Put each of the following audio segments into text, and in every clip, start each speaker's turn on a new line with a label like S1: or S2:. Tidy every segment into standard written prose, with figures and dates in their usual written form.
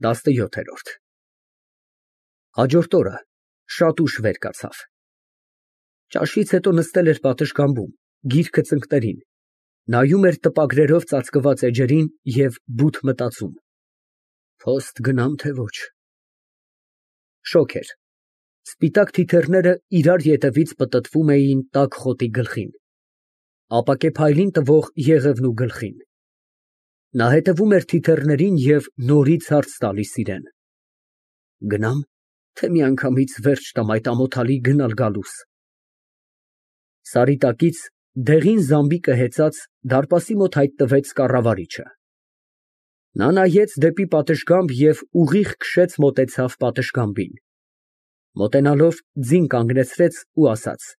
S1: 17։ Հաջորդ օրը շատ ուշ վեր կացավ։ Ճաշից հետո նստել էր պատշգամբում, գիրքը ծնկներին, նայում էր տպագրերով ծածկված էջերին և բութ մտածում. «Փոստ գնամ, թե ոչ»։ Շոգ էր։ Սպիտակ թիթեռները իրար ետևից պտտվում էին տաք խոտի գլխին, ապակե փայլին տվող եղևն ու գլխին։ Նա հետևում էր թիթեռներին և նորից հարց տալիս իրան. «Գնա՞մ, թե միանգամից վերջ տամ այդ ամոթալի գնալ֊գալուս»։ Սարի տակից դեղին զամբիկը հեծած դարպասի մոտ հայտնվեց կառավարիչը։ Նա նայեց դեպի պատշգամբ և ուղիղ քշեց մոտեցավ պատշգամբին, մոտենալով ձին կանգնեցրեց ու ասաց.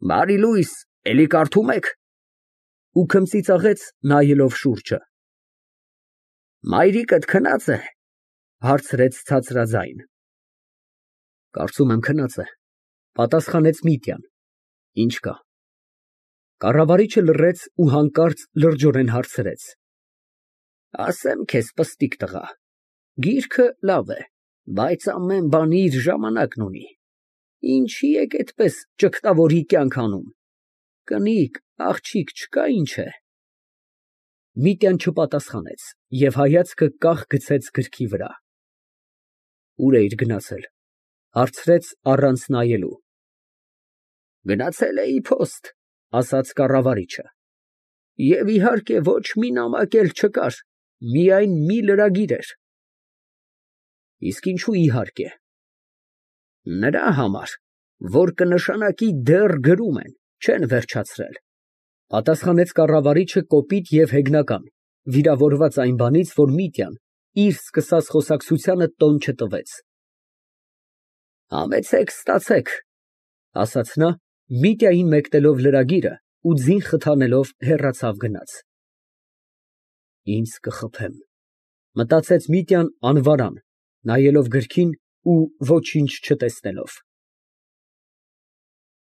S1: «Բարի լույս, էլի կարդում եք»։ Ու քմծիծաղեց, նայելով շուրջը։ «Մայրիկդ քնա՞ծ է», հարցրեց ցածրաձայն։ «Կարծում եմ քնած է», պատասխանեց Միտյան։ «Ինչ կա»։ Կառավարիչը լռեց ու հանկարծ լրջորեն հարցրեց. «Ասեմ քեզ, պստիկ տղա, գիրքը լավ է, բայց ամեն բան իր ժամանակն ունի։ Ինչի եք այդպես ճգտավորի կյանք անում։ Կնիկ, աղջիկ չկա, ինչ է»։ Միտյան չպատասխանեց և հայացքը կախ գցեց գրքի վրա։ «Ուր էիր գնացել», հարցրեց առանց նայելու։ «Գնացել էի փոստ», ասաց կառավարիչը, «և իհարկե ոչ մի նամակ էլ չկար, միայն մի լրագիր էր»։ «Իսկ ինչո՞ւ իհարկե»։ «Նրա համար, որ կնշանակի դեռ գրում են, չեն վերջացրել», պատասխանեց կառավարիչը կոպիտ և հեգնական, վիրավորված այն բանից, որ Միտյան իր սկսած խոսակցությանը տոն չտվեց։ «Համեցեք, ստացեք», ասաց նա, Միտյային մեկնելով լրագիրը ու ձին խթանելով հեռացավ գնաց։ «Ինձ կխփեմ», մտածեց Միտյան անվարան, նայելով գրքին ու ոչինչ չտեսնելով։